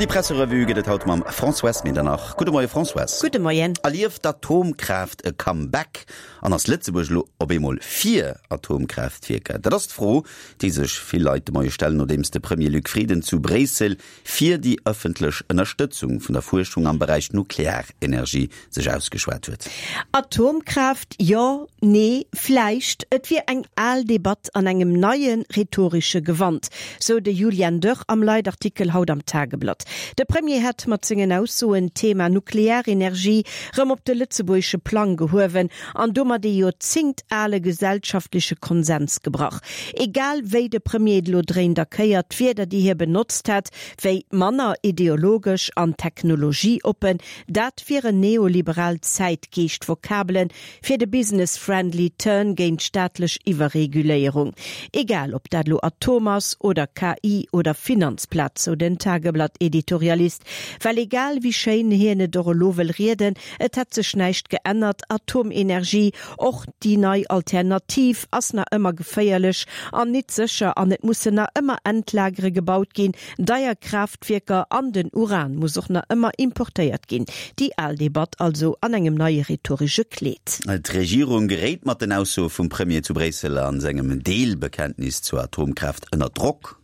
An déi Presserevue gëtt et haut mam Françoise Medernach. Gudde Moie Françoise. Gudde Moien. Erlieft d'Atomkraaft e Comeback? An ass Lëtzebuerg elo op eemol fir Atomkraaftwierker? Dat ass d'Fro, déi sech vill Leit de Moie stellen, nodeems de Premier Luc Frieden zu Bréissel fir déi ëffentlech Ënnerstëtzung vun der Fuerschung am Beräich Nuklearenergie sech ausgeschwat huet. Atomkraaft, jo, nee, vläicht, et wier eng al Debatt an engem neie rhetoresche Gewand, sou de Julian Dörr am Leitartikel haut am Tageblatt. De Premier hätt mat sengen Aussoen d'Thema Nuklearenergie rëm op de lëtzebuergesche Plang gehuewen an domat ee joerzéngtale gesellschaftleche Konsens gebrach. Egal wéi de Premier et elo dréint a kéiert, d'Wierder déi hie benotzt hätt, wéi manner ideologesch an technologieoppen, Dat wieren neoliberal Zäitgeescht-Vokabelen fir de business-friendly Turn géint staatlech Iwwerreguléierung. Egal ob dat lo Atom ass oder KI oder Finanzplaz, sou den Tageblatt-Editorialist. Well egal wéi schéin hien et och elo wëll rieden, et hätt sech näischt geännert, Atomenergie, och déi nei Alternativ, ass nach ëmmer geféierlech an nit sécher an et mussen nach ëmmer Endlagere gebaut ginn, deier Kraaftwierker an den Uran muss och nach ëmmer importéiert ginn. Déi al Debatt also an engem neie rhetoresche Kleed. D'Regierung geréit mat den Aussoe vum Premier zu Bréissel a sengem Deelbekenntnis zur Atomkraaft ënner Drock.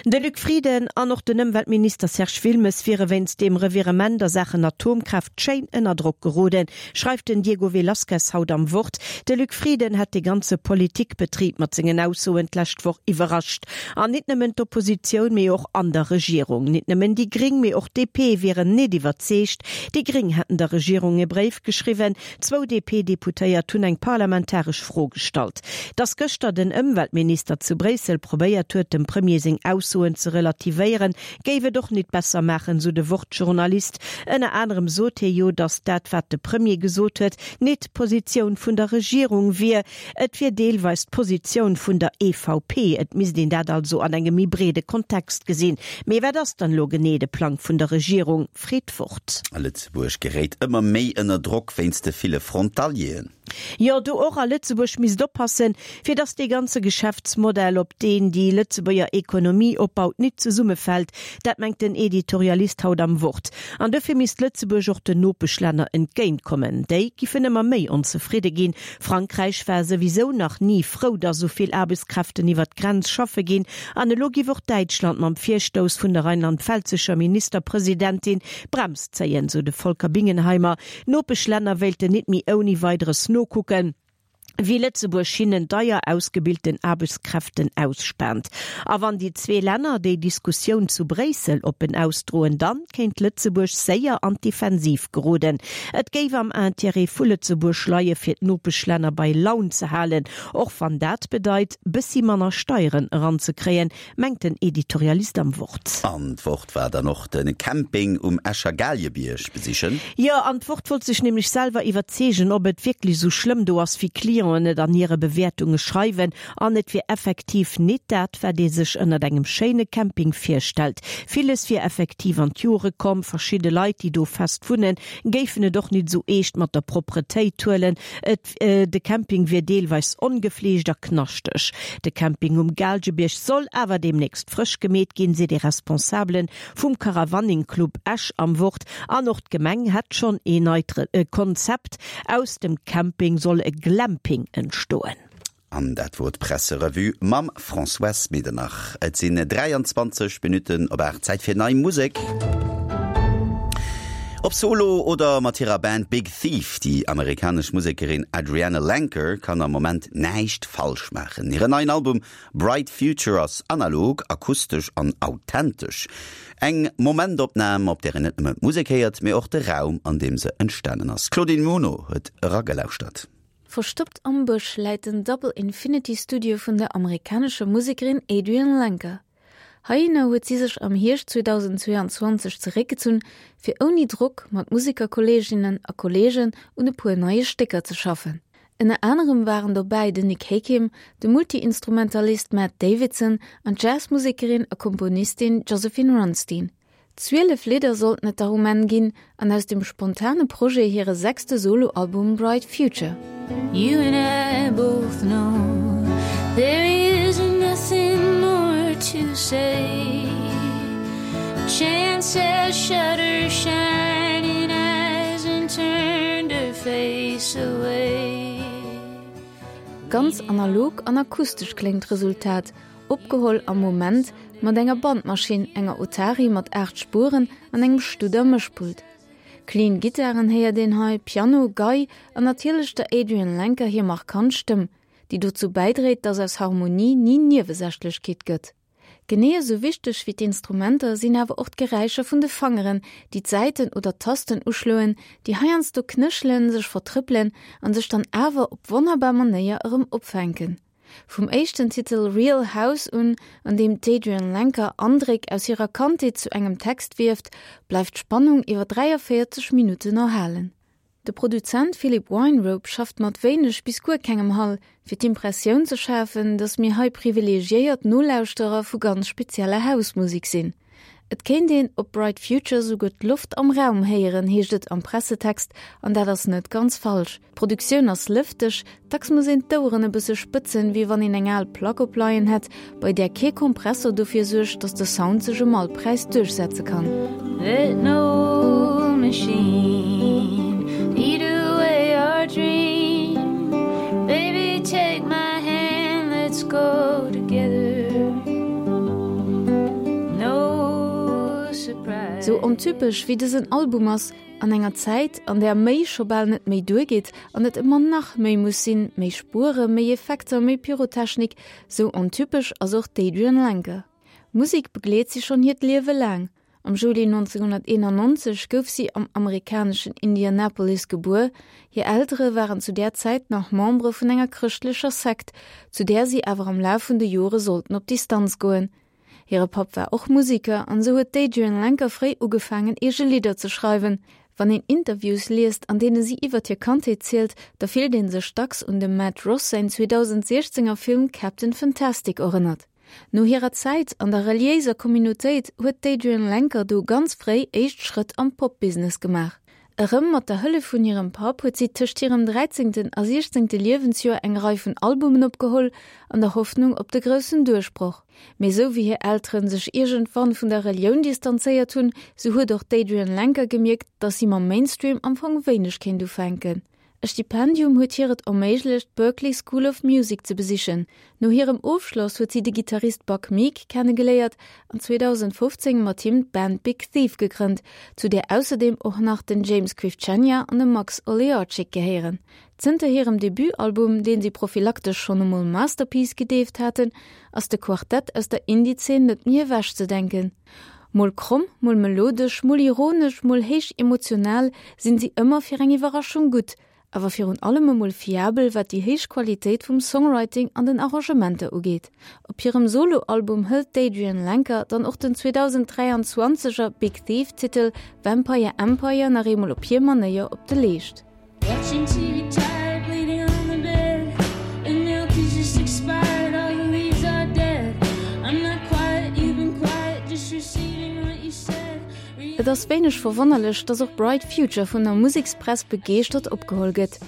De Luc Frieden an och den Ëmweltminister Serge Wilmes wiere wéinst deem Revirement a Saachen Atomkraaft schéin ënner Drock geroden, schreift den Diego Velazquez haut am Wort. De Luc Frieden hätt de ganze Politikbetrib mat sengen Aussoen d'lescht Woch iwwerrascht. An nit nëmmen d'Oppositioun, mee och an der Regierung. Nit nëmmen déi Gring, mee och d'DP wieren nit iwwerzeegt. Déi Gring hätten der Regierung e Bréif geschriwwen. Zwou DP-Deputéiert hunn eng parlamentaresch Fro gestallt. Datt gëschter den Ëmweltminister zu Bréissel probéiert huet, dem Premier seng Aussoen ze relativéieren, géif et och nit besser maachen, sou de Wort-Journalist. Ënner anerem sot hie jo, datt dat, wat de Premier gesot huet, nit d'Positioun vun der Regierung wier. Et wier deelweis d'Positioun vun der EVP. Et misst een dat also an engem méi breede Kontext gesinn. Mee wat ass dann elo genee de Plang vun der Regierung, freet d'Wort. A Lëtzebuerg geréit ëmmer méi ënner Drock wéinst de ville Frontalieren. Jo, do och. A Lëtzebuerg misst oppassen, fir datt dee ganze Geschäftsmodell, op deen déi Lëtzebuerger Ekonomie opbaut, nit zesummefält. Dat mengt den Editorialist haut am Wort. An dofir misst Lëtzebuerg och den Nopeschlänner entgéintkommen. Déi giffen ëmmer méi onzefridde ginn. Frankräich war souwisou nach ni frou, datt esou vill Aarbechtskräften iwwer d'Grenz schaffe ginn. An elo giff och Däitschland mam Virstouss vun der rheinland-pfälzescher Ministerpresidentin d'Brems zéien, sou de Volker Bingenheimer. D'Nopeschlänner wéilten nit méi ouni Weideres nokucken, wéi Lëtzebuerg hinnen deier ausgebilten Aarbechtskräften ausspaant. A wann déi zwee Länner déi Diskussioun zu Bréissel oppen ausdroen, dann kéint Lëtzebuerg séier an d'Defensiv geroden. Et géif am Intérêt vu Lëtzebuerg leie fir d'Nopeschlänner bei Laun ze halen, och wann dat bedeit, bëssi manner Steieren eranzekréien, mengt den Editorialist am Wort. An d'Wort war dann och de Camping um Escher Galiebierg besichen. Jo, an d'Wort wollt sech nämlech selwer iwwerzeegen, ob et wierklech esou schlëmm do ass, wéi Clienten et an hire Bewäertunge schreiwen. An et wier effektiv nit dat, wat ee sech ënnert engem schéine Camping virstellt. Villes wier effektiv an d'Jore komm, verschidde Leit, déi do fest wunnen, géifen et och nit esou eescht mat der Propretéit huelen. Et De Camping wier deelweis ongefleegt a knaschteg. De Camping um Gaalgebierg soll awer deemnächst frësch gemeet ginn, seet ee Responsabele vum Caravaning Club Esch am Wort. An och d'Gemeng hätt schonn ee neit Konzept, Aus dem Camping soll e Glamping entstoen. An dat wor d'Presserevue mam Françoise Medernach. Et sinn 23 Minutten op 8, Zäit fir nei Musek. Ob solo oder mat hirer Band Big Thief, déi amerikanesch Musekerin Adrianne Lenker kann am Moment näischt falsch maachen. Hiren neien Album Bright Future ass analog, akustesch an authentesch. Eng Momentopnam, op där een net nëmmen d'Musek héiert, mee och de Raum, an deem se entstanen ass. D'Claudine Muno huet eragelauschtert. Verstoppt am Bësch läit den Double Infinity Studio vun der amerikanescher Musekerin Adrianne Lenker. Heihinner huet si sech am Hierscht 2022 zeréckgezunn, fir ouni Drock mat Musekerkolleeginnen a Kolleegen un e puer neie Stécker ze schaffen. Ënner anerem waren dobäi den Nick Hakim, de Multi-Instrumentalist Matt Davidson an d'Jazzmusekerin a Komponistin Josephine Runstein. 12 Lidder sollten et der um Enn ginn an aus dem spontane Projet hire sechste Soloalbum Bright Future. You and I both know there is nothing more to say. Chance has. shut her shining eyes and turned her face away. Ganz analog an akustesch kléngt d'Resultat, opgeholl am Moment mat enger Bandmaschinn, enger Otari mat 8 Spueren an engem Studer Mëschpult. Clean Gittaren héiert een hei, Piano, Gei an natierlech der Adrianne Lenker hir markant Stëmm, déi dozou bäidréit, dass aus Harmonie ni Niewesächlechkeet gëtt. Genee esou wichteg wéi d'Instrumenter sinn awer och d'Geräischer vun de Fangeren, déi d'Säiten oder d'Tasten uschloen, déi heiansdo knéchelen, sech vertrëppelen an sech dann awer op wonnerbar Manéier erëm opfänken. Vum éischten Titel Real House un, an deem d'Adrianne Lenker Andréck aus hirer Kandheet zu engem Text wieft, bleift d'Spannung iwwer 43 Minutten erhalen. De Produzent Philip Weinrobe schafft mat wéineg bis guer kengem Hall, fir d'Impressioun ze schafen, datt mir hei privilegiéiert Nolauschterer vu ganz spezieller House-Musek sinn. Et kéint een op Bright Future souguer d'Loft am Raum héieren, heescht et am Pressetext, an dat ass net ganz falsch. D'Produktioun ass lëfteg, dacks muss een d'Oueren e bësse spëtzen, wéi wann een eng al Plack opleien hätt, bei där kee Kompressor dofir suergt, datt de Sound sech ëm all Präis duerchsetze kann. Let no machine eat away our dream Baby take my hand, let's go together No surprise. Sou ontypesch wéi dësen Album ass, An enger Zäit, an där méi scho bal net méi duergeet an et ëmmer nach méi muss sinn, méi Spuere, méi Effekter, méi Pyrotechnik, sou ontypesch ass och d'Adrianne Lenker. Musek begleet si schonn hiert Liewe laang. Am Juli 1991 gouf si am amerikaneschen Indianapolis gebuer. Hir Eltere waren zu där Zäit nach Membere vun enger chrëschtlecher Sekt, zu där si awer am Laf vun de Jore sollten op Distanz goen. Hire Papp war och Musiker an esou huet d'Adrianne Lenker fréi ugefaangen eege Lidder ze schreiwen. Wann een Interviews liest, an deene si iwwert hir Kandheet zielt, da fillt ee sech dacks un dem Matt Ross säin 2016 er Film Captain Fantastic erënnert. No hirer Zäit an der reliéiser Communautéit huet d'Adrianne Lenker du ganz fréi éischt Schrëtt am Pop-Business gemaach. Erëm mat der Hëllef vun hirem Papp huet si tëscht hirem dräizéngten a siechzéngte Liewensjoer eng Rei vun Albumen opgeholl, an der Hoffnung op de groussen Duerchbroch. Mee sou wéi hir Elteren sech iergendwann vun der Relioun distanzéiert hunn, sou huet och d'Adrianne Lenker gemierkt, dass si mam Mainstream am Fong wéineg kéint ufänken. E Stipendium huet hir et erméiglecht, d'Berklee School of Music ze besichen. No hirem Ofschloss huet si de Gittarist Buck Meek kennegeléiert an 2015 mat him d'Band Big Thief gegrënnt, zu där ausserdeem och nach den James Krivchenia an de Max Oleartchik gehéieren. Zënter hirem Debutalbum, deen si prophylaktesch schonn emol Masterpiece gedeeft haten, ass de Quartett aus der Indie-Zeen net méi ewechzedenken. Mol kromm, mol melodesch, mol ironesch, mol héich emotional sinn si ëmmer fir eng Iwwerraschung gutt, awer virun allem emol fiabel wat déi héich Qualitéit vum Songwriting an den Arrangementer ugeet. Op hirem Solo-Album hëlt d'Adrianne Lenker dann och den 2023 er Big Thief Titel Vampire Empire nach eemol op hir Manéier op de Leescht. Et ass wéineg verwonnerlech, dass och Bright Future vun der Musekspress begeeschtert opgeholl gëtt.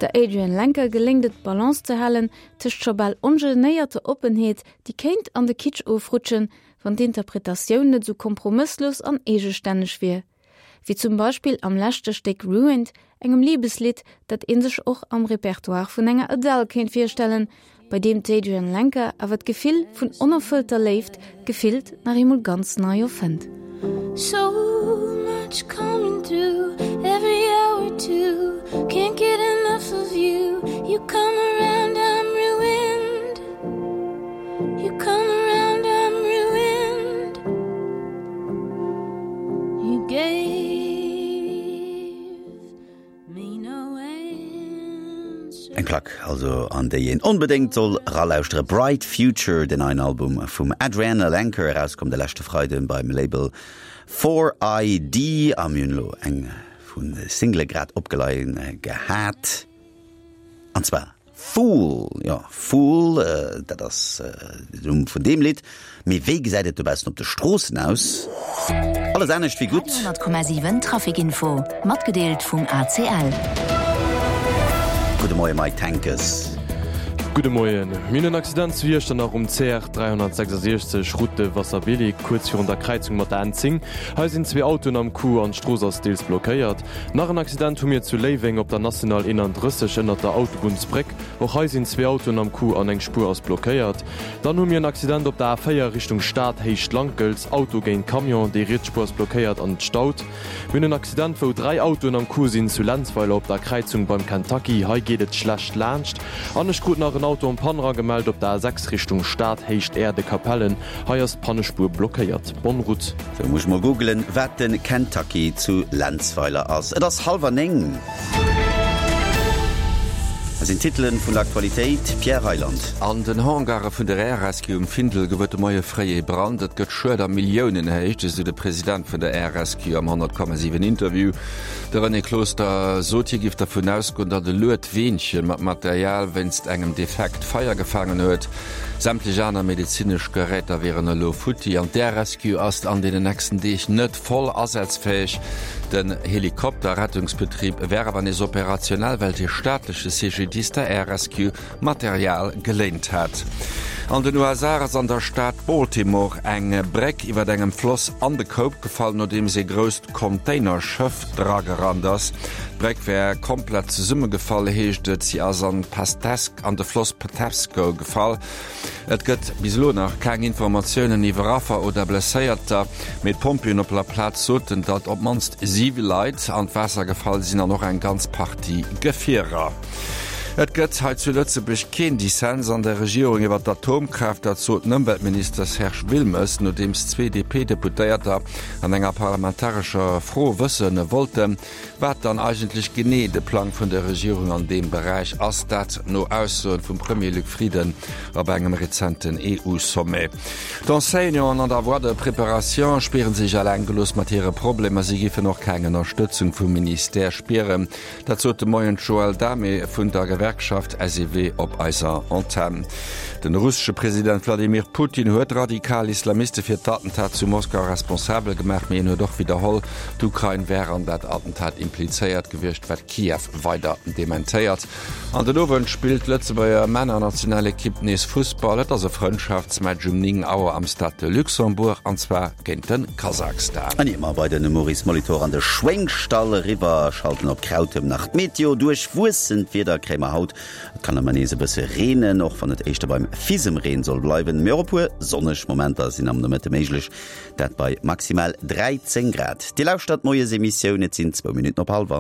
Der Adrianne Lenker geléngt et d'Balance ze halen tëscht scho bal ongenéierter Oppenheet, déi kéint an de Kitsch ofrutschen, wann d'Interpretatioun net esou kompromësslos an eegestänneg wier. Wéi zum Beispill am leschte Stéck Ruined, engem Libeslidd, dat ee sech och am Repertoire vun enger Adele kéint virstellen, bei deem d'Adrianne Lenker awer d'Gefill vun onerfëllter Léift gefillt nach eemol ganz nei erfënnt. So much coming through every hour too Can't get enough of you You come around I'm ruined You come around I'm ruined You gave me no answer. Eng Plack also an déi een onbedéngt soll eralauschteren. Bright Future, den neien Album vum Adrianne Lenker, erauskomm de leschte Freiden beim Label 4ID. A mir hunn elo eng vun de Single grad opgeleien gehat, an zwar Fool, jo Fool, dat ass den Numm vun deem Lidd. Mee wéi gesäit et dobaussen op de Stroossen aus? Alles anescht wéi gutt. 100,7 Traficinfo, matgedeelt vum ACL. Gudde Moie Mike Tenkes. Gudde Moien. Mir hunn en Accident zu Iechternach um CR 366, Route de Wasserbillig, kuerz virun der Kräizung mat der N10. Hei sinn zwee Autoen am Coup an d'Strooss ass deels blockéiert. Nach en Accident hu mir zu Léiweng op der National 31 ënnert der Autobunnsbréck. Och hei sinn zwee Autoen am Coup an eng Spuer ass blockéiert. Dann hu mir en Accident op der A4 Richtung Stad, Héicht Lankels, Auto géint Camion, déi riets Spuer ass blockéiert an et staut. Mir hunn en Accident wou 3 Autoen am Coup sinn zu Lenzweiler op der Kräizung beim Kentucky, hei geet et schlecht laanscht. An ech krut nach en Auto en Panne eragemellt op der A6 Richtung Stad, Héicht Äerde Capellen, hei ass d'Pannespuer blockéiert. Bonne route. Sou, muss ech mol googelen wat den Kentucky zu Lenzweiler ass. Et ass halwer 9. Hei sinn d'Titelen vun der Aktualitéit, Pierre Reyland. An den Hangare vun der Air Rescue um Findel gouf et de Moie fréi ee Brand. Et gëtt Schued a Milliounenhéicht, esou de President vun der Air Rescue am 100,7 Interview. De René Closter sot, hie géif dervun ausgoen, datt e Luedweenche mat Material wéinst engem Defekt Feier gefaangen huet. Sämtlech aner medezinesch Geräter wieren elo futti an d'Air Rescue ass an deenen nächsten Deeg net voll asazfäeg. Den Helikopter-Rettungsbetrib wär awer nees operationell, well de staatleche CGDIS der Air Rescue Material geléint hat. An den USA ass an der Stad Baltimore eng Bréck iwwer engem Floss an de Koup gefall, nodeems ee grousst Containerschëff dragerannt ass. D'Bréck wär komplett zesummegefall, heescht et. Si ass an d'Pastesk an de Floss Patapsco gefall. Et gëtt bis elo nach keng Informatiounen iwwer Affer oder Blesséierter, mee d'Pompjeeën op der Plaz soten, datt op d'mannst 7 Leit an d'Waasser gefall sinn an och eng ganz Partie Gefierer. Et gëtt hei zu Lëtzebuerg keen Dissens an der Regierung iwwer d'Atomkraaft, dat sot den Ëmweltminister Serge Wilmes, nodeems zwee DP-Deputéierter an enger parlamentarescher Fro wësse wollten, Wat dann eigentlech genee de Plang vun der Regierung an deem Beräich ass, dat no Aussoen vum Premier Luc Frieden op engem rezenten EU-Sommet. D'Enseignanten an der Voie de préparation spieren sech eleng gelooss mat hire Problemer. Si giffen och keng Ënnerstëtzung vum Ministère spieren. Dat sot de Moien d'Joëlle Damé vun der Gewerkschaft SEW op eiser Antenn. Den russesche President Wladimir Putin huet radikal Islamiste fir d'Attentat zu Moskau responsabel gemaach, mee en huet och widderholl, D'Ukrain wär an dat Attentat implizéiert gewiescht, wat Kiew weider dementéiert. An den Owend spillt d'Lëtzebuerger Männernationalekipp nees Fussball. Et ass e Frëndschaftsmatch um 9 Auer am Stade de Luxembourg, an zwar géint de Kasachstan. An ier mer bei de Maurice Molitor an de Schwéngstall eriwwer schalten op Krautem nach d'Meteo. Duerchwuessent Wieder kréie mer haut. Et kann ëmmer nees e bësse reenen, och wann et éischter beim Fisemreen soll bleiwen, mee och e puer sonneg Momenter sinn am Nomëtte méiglech. Dat bei maximal 13 Grad. Dir lauschtert d'Moiesemissioun, et sinn zwou Minutten op hallwer.